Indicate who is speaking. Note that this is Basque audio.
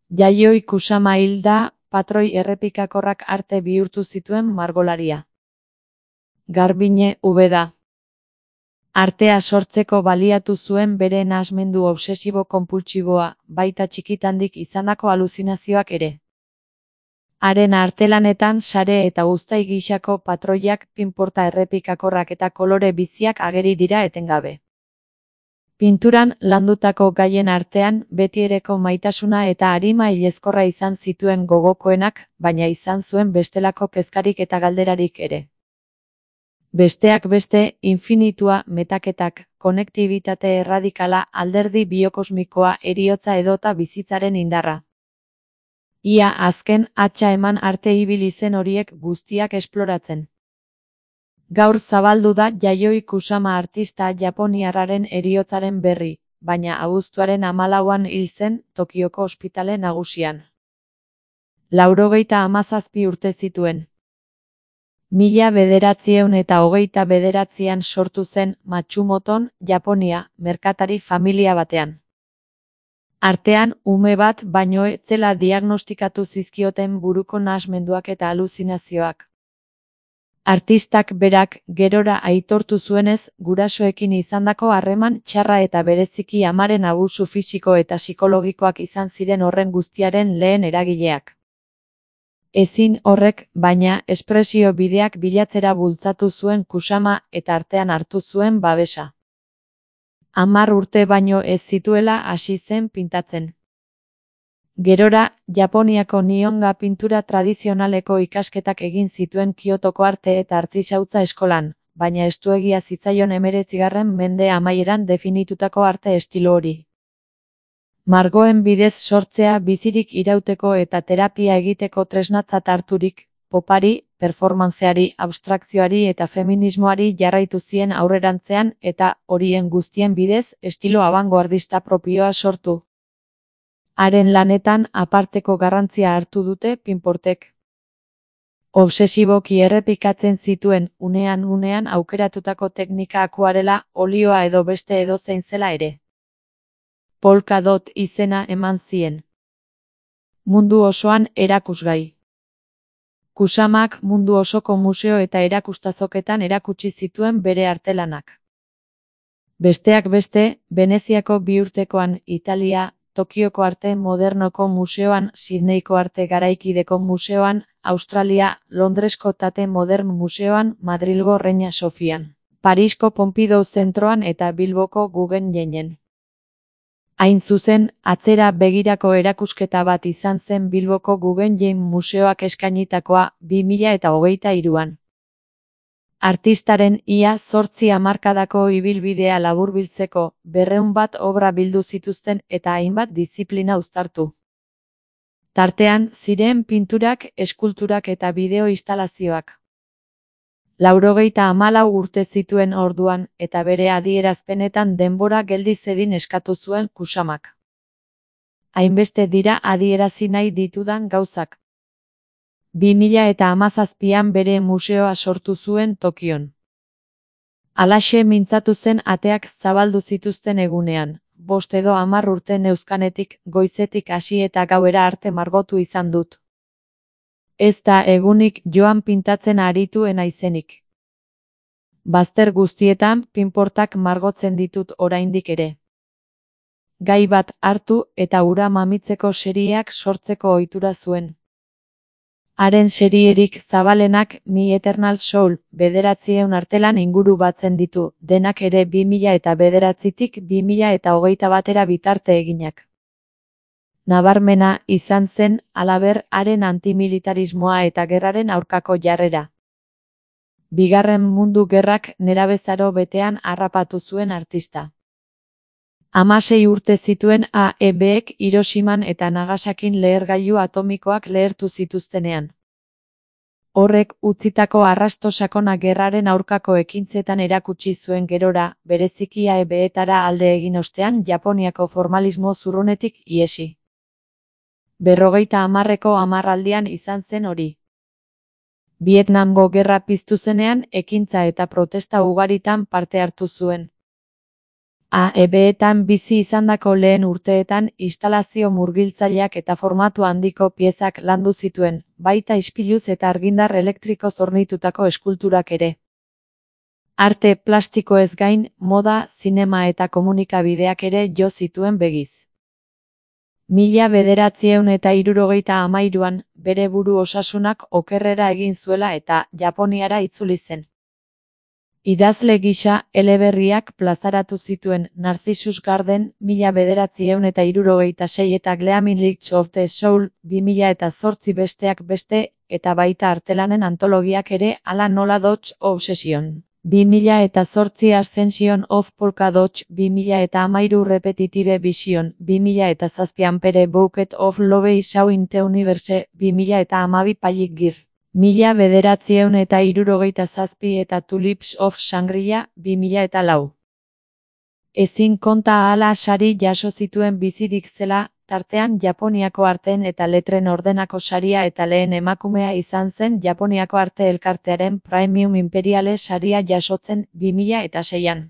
Speaker 1: Yayoi Kusama hil da, patroi errepikakorrak arte bihurtu zituen margolaria. Garbiñe Ubeda. Artea sortzeko baliatu zuen bere nahasmendu obsesibo-konpultsiboa, baita txikitandik izandako aluzinazioak ere. Haren artelanetan sare eta uztai gisako patroiak, pinporta errepikakorrak eta kolore biziak ageri dira etengabe. Pinturan landutako gaien artean betiereko maitasuna eta arima hilezkorra izan zituen gogokoenak, baina izan zuen bestelako kezkarik eta galderarik ere. Besteak beste, infinitua, metaketak, konektibitate erradikala, alderdi biokosmikoa, heriotza edota bizitzaren indarra. Ia azken hatsa eman arte ibili zen horiek guztiak esploratzen. Gaur zabaldu da Yayoi Kusama artista japoniarraren heriotzaren berri, baina abuztuaren 14an hil zen Tokioko ospitale nagusian. 97 urte zituen. 1929an sortu zen Matsumoton, Japonia, merkatari familia batean. Artean, ume bat baino ez zela diagnostikatu zizkioten buruko nahasmenduak eta aluzinazioak. Artistak berak gerora aitortu zuenez, gurasoekin izandako harreman txarra eta bereziki amaren abusu fisiko eta psikologikoak izan ziren horren guztiaren lehen eragileak. Ezin horrek, baina, espresio bideak bilatzera bultzatu zuen Kusama eta artean hartu zuen babesa. 10 urte baino ez zituela hasi zen pintatzen. Gerora, Japoniako Nihonga pintura tradizionaleko ikasketak egin zituen Kiotoko arte eta artisautza eskolan, baina estuegia zitzaion 19. mende amaieran definitutako arte estilo hori. Margoen bidez sortzea bizirik irauteko eta terapia egiteko tresnatzat harturik, popari, performanceari, abstrakzioari eta feminismoari jarraitu zien aurrerantzean eta, horien guztien bidez, estilo abangoardista propioa sortu. Haren lanetan aparteko garrantzia hartu dute pinportek. Obsesiboki errepikatzen zituen, unean aukeratutako teknika akuarela, olioa edo beste edozein zela ere. Polka dot izena eman zien. Mundu osoan erakusgai. Kusamak mundu osoko museo eta erakustazoketan erakutsi zituen bere artelanak. Besteak beste, Veneziako 2 urtekoan, Italia, Tokioko arte modernoko museoan, Sydneyko arte garaikideko museoan, Australia, Londresko Tate Modern museoan, Madrilgo Reina Sofian, Parisko Pompidou zentroan eta Bilboko Guggenheinen. Hain zuzen, atzera begirako erakusketa bat izan zen Bilboko Guggenheim museoak eskainitakoa 2023an. Artistaren ia 8 hamarkadako ibilbidea laburbiltzeko 200 obra bildu zituzten eta hainbat diziplina uztartu. Tartean, ziren pinturak, eskulturak eta bideo-instalazioak. 94 urte zituen orduan, eta bere adierazpenetan denbora geldi zedin eskatu zuen Kusamak. Hainbeste dira adierazi nahi ditudan gauzak. 2017an bere museoa sortu zuen Tokion. Halaxe mintzatu zen ateak zabaldu zituzten egunean, 5 edo 10 urte neuzkanetik, goizetik hasi eta gauera arte margotu izan dut. Ez da egunik joan pintatzen arituen naizenik. Bazter guztietan pinportak margotzen ditut oraindik ere. Gai bat hartu eta ura mamitzeko serieak sortzeko ohitura zuen. Haren serierik zabalenak Mi Eternal Soul, 900 artelan inguru batzen ditu, denak ere 2009tik 2021era bitarte eginak. Nabarmena izan zen, halaber, haren antimilitarismoa eta gerraren aurkako jarrera. Bigarren Mundu Gerrak nerabezaro betean harrapatu zuen artista. 16 urte zituen AEBek Hiroshiman eta Nagasakin lehergailu atomikoak lehertu zituztenean. Horrek utzitako arrasto sakona gerraren aurkako ekintzetan erakutsi zuen gerora, bereziki AEBetara alde egin ostean Japoniako formalismo zurrunetik ihesi. 50ko hamarraldian izan zen hori. Vietnamgo gerra piztu zenean ekintza eta protesta ugaritan parte hartu zuen. AEB-etan bizi izandako lehen urteetan instalazio murgiltzaileak eta formatu handiko piezak landu zituen, baita ispiluz eta argindar elektrikoz hornitutako eskulturak ere. Arte plastikoez gain, moda, zinema eta komunikabideak ere jo zituen begiz. 1973an, bere buru osasunak okerrera egin zuela eta Japoniara itzuli zen. Idazle gisa, eleberriak plazaratu zituen Narcissus Garden 1976 eta Gleaming Lights of the Soul 2008 besteak beste, eta baita artelanen antologiak ere hala nola Dodge Obsession. 2008 Ascension of Polka Dot 2013 Repetitive Vision 2007 Ampere Bouquet of Love Isau in the Universe 2012 Palik Gir 1977 eta Tulips of Shangri-La 2004. Ezin konta ahala sari jaso zituen bizirik zela, tartean Japoniako arteen eta letren ordenako saria eta lehen emakumea izan zen Japoniako arte elkartearen Premium Imperiale saria jasotzen 2006an.